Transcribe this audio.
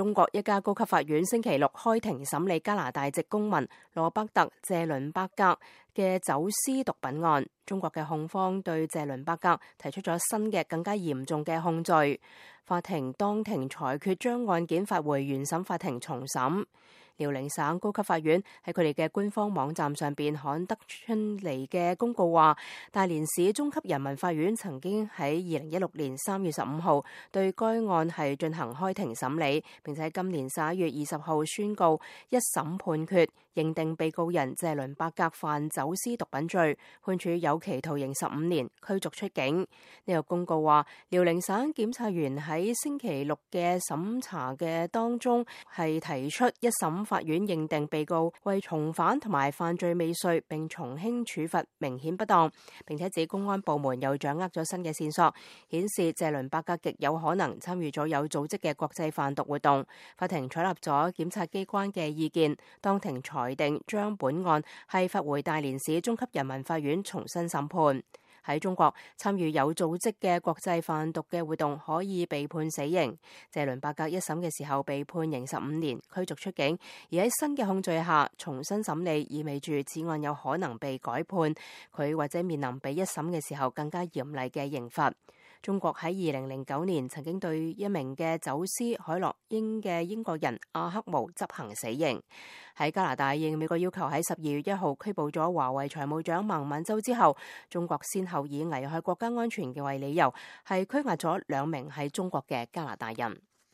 中國一家高級法院星期六開庭審理加拿大籍公民羅伯特·謝倫伯格嘅走私毒品案。中國嘅控方對謝倫伯格提出咗新嘅更加嚴重嘅控罪。法庭當庭裁決將案件發回原審法庭重審。遼寧省高級法院喺佢哋嘅官方網站上邊刊登出嚟嘅公告話，大連市中級人民法院曾經喺2016年3月15號對該案係進行開庭審理，並且喺今年11月20號宣告一審判決，認定被告人謝倫伯格犯走私毒品罪，判處有期徒刑15年，驅逐出境。呢個公告話，遼寧省檢察員喺星期六嘅審查嘅當中係提出一審法院認定被告為從犯同埋犯罪未遂，並從輕處罰明顯不當，並且指公安部門又掌握咗新嘅線索，顯示謝倫伯格極有可能參與咗有組織嘅國際販毒活動。法庭採納咗檢察機關嘅意見，當庭裁定將本案係發回大連市中級人民法院重新審判。喺中國，參與有組織嘅國際販毒嘅活動可以被判死刑。謝倫伯格一審嘅時候被判刑15年，驅逐出境，而喺新嘅控罪下重新審理，意味住此案有可能被改判，佢或者面臨比一審嘅時候更加嚴厲嘅刑罰。中國喺2009年曾經對一名嘅走私海洛因嘅英國人阿克毛執行死刑。喺加拿大應美國要求喺12月1號拘捕咗華為財務長孟晚舟之後，中國先後以危害國家安全嘅為理由，係拘押咗2名喺中國嘅加拿大人。